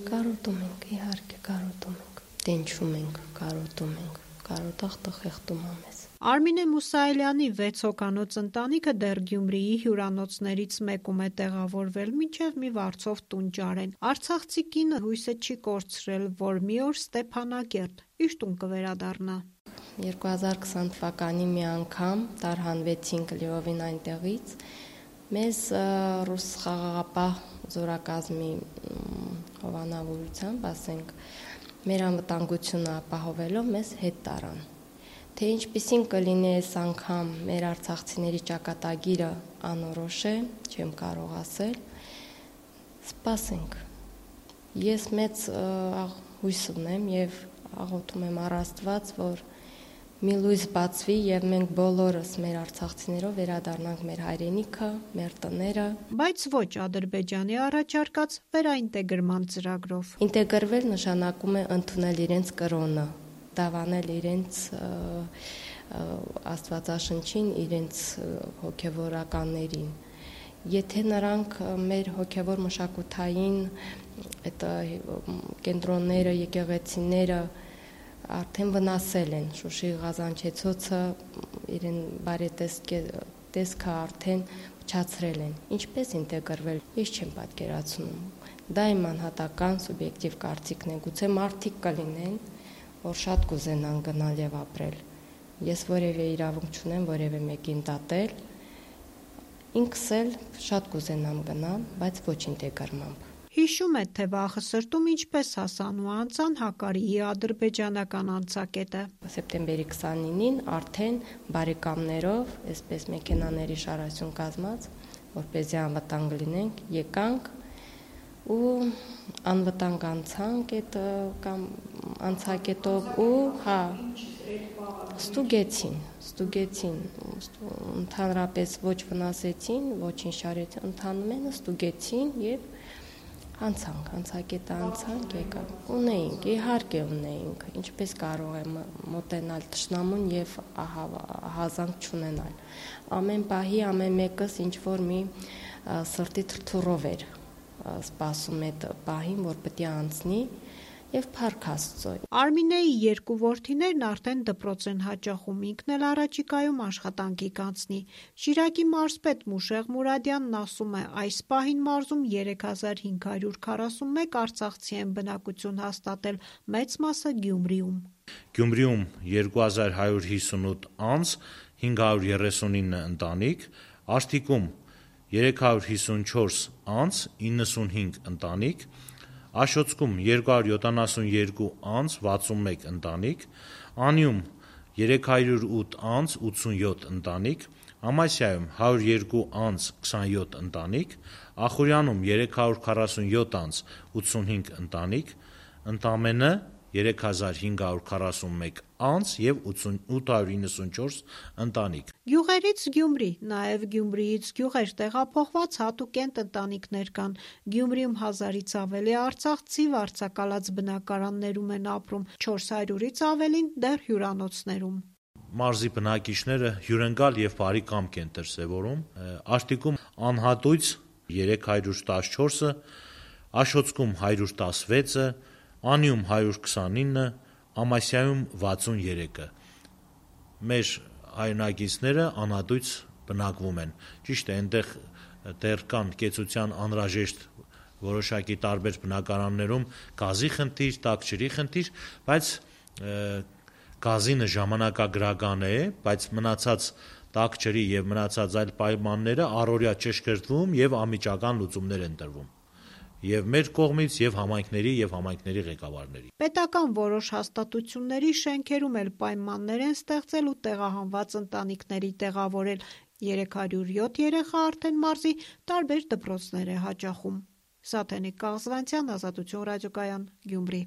Կարոտում ենք, իհարկե կարոտում ենք, տենչում ենք, կարոտախ տխեղտում ամես։ Արմինե Մուսայելյանի 6 հոգանոց ընտանիքը դեռ Գյումրիի հյուրանոցներից մեկում է տեղավորվել, մինչև մի վարձով տուն ճարեն։ Արցախցի կինը հույսը չի կորցրել, որ մի օր Ստեփանակերտ իր տուն կվերադառնա։ 2020 թվականի մի անգամ տարհանվեցինք լիովին այնտեղից, մեզ ռուս խաղաղապահ զորակազմի հովանավորությամբ, ասենք, մեր անվտանգությունը ապահովելով մեզ հետ տարան։ Թե ինչպիսին կլինի այս անգամ մեր արցախցիների ճակատագիրը անորոշ է, չեմ կարող ասել, սպասենք։ Ես մեծ հույս ունեմ եւ աղոթում եմ առ Աստված, որ մի լույս բացվի եւ մենք բոլորս մեր արցախցիներով վերադառնանք մեր հայրենիքը, մեր տները։ Բայց ոչ Ադրբեջանի առաջարկած վերաինտեգրման ծրագրով։ Ինտեգրվել նշանակում է ընդունել իրենց կրոնը, դավանել իրենց աստվածաշնչին, իրենց հոգևորականներին։ Եթե նրանք մեր հոգևոր մշակութային այդ կենտրոնները, եկեղեցիները արդեն վնասել են, Շուշի Ղազանչեցոցը իրեն բարետեսքը արդեն փչացրել են։ Ինչպես ինտեգրվել, ես չեմ պատկերացնում։ Դա իմ անհատական սուբյեկտիվ կարծիքն է, գուցե մարդիկ կլինեն, որ շատ կուզենան գնալ եւ ապրել։ Ես որևէ իրավունք չունեմ որևէ մեկին դատել, ինքս էլ շատ կուզենամ գնալ, բայց ոչ ինտեգրմամբ։ Հիշում է, թե վաղը սրտում ինչպես հասան ու անցան Հակարիի ադրբեջանական անցակետը։ Սեպտեմբերի 29-ին արդեն բարեկամներով, այսպես մեքենաների շարասյուն կազմած, որպեսզի անվտանգ լինենք, եկանք ու անվտանգ անցանք այդ կամ անցակետով ու ստուգեցին, ընդհանրապես ոչ վնասեցին, ոչինչ չարեցին, ընդհանրապես ստուգեցին եւ անցակետը անցանք, եկանք։ Ունեինք, իհարկե ունեինք, ինչպես կարող եմ մոտենալ թշնամուն եւ հազանգ չունենալ։ Ամեն պահի ամեն մեկս ինչ որ մի սրտի թրթուրով էր սպասում այդ պահին, որ պետք է անցնի եւ փառք Աստծո։ Արմինեի երկու որդիներն արդեն դպրոց են հաճախում, ինքն էլ առաջիկայում աշխատանքի կանցնի։ Շիրակի մարզպետ Մուշեղ Մուրադյանն ասում է, այս պահին մարզում 3541 արցախցի են բնակություն հաստատել, մեծ մասը Գյումրիում։ Գյումրիում 2158 անձ, 539 ընտանիք, Աշտիկում 354 անձ, 95 ընտանիք, Աշոցքում 272 անձ, 61 ընտանիք, Անիում 308 անձ, 87 ընտանիք, Ամասիայում 102 անձ, 27 ընտանիք, Ախուրյանում 347 անձ, 85 ընտանիք, ընդամենը 3541 անձ եւ 894 ընտանիք։ Գյուղերից Գյումրի, նաեւ Գյումրիից գյուղեր տեղափոխված հատուկենտ ընտանիքներ կան։ Գյումրիում 1000-ից ավելի արցախցի վարձակալած բնակարաններում են ապրում, 400-ից ավելին դեռ հյուրանոցներում։ Մարզի բնակիչները հյուրընկալ եւ բարի կամք են դրսեւորում։ Աշտիկում անհատույց 314-ը, Աշոցքում 116-ը, Անիում 129, Ամասիայում 63-ը։ Մեր հայրենակիցները անհատույց բնակվում են։ Ճիշտ է, այնտեղ դեռ կան կեցության անհրաժեշտ որոշակի տարբեր բնակարաններում գազի խնդիր, տաք-ջրի խնդիր, բայց գազինը ժամանակագրական է, բայց մնացած տաք-ջրի եւ մնացած այլ պայմանները առօրյա ճշգրտվում եւ անմիջական լուծումներ են տրվում։ Եվ մեր կողմից, եւ համայնքների ղեկավարների։ Պետական որոշ հաստատությունների շենքերում էլ պայմաններ են ստեղծել ու տեղահանված ընտանիքների տեղավորել։ 307 երեխա արդեն մարզի տարբեր դպրոցներ է հաճախում։ Սաթենիկ Կաղզվանցյան, Ազատություն ռադիոկայան, Գյումրի։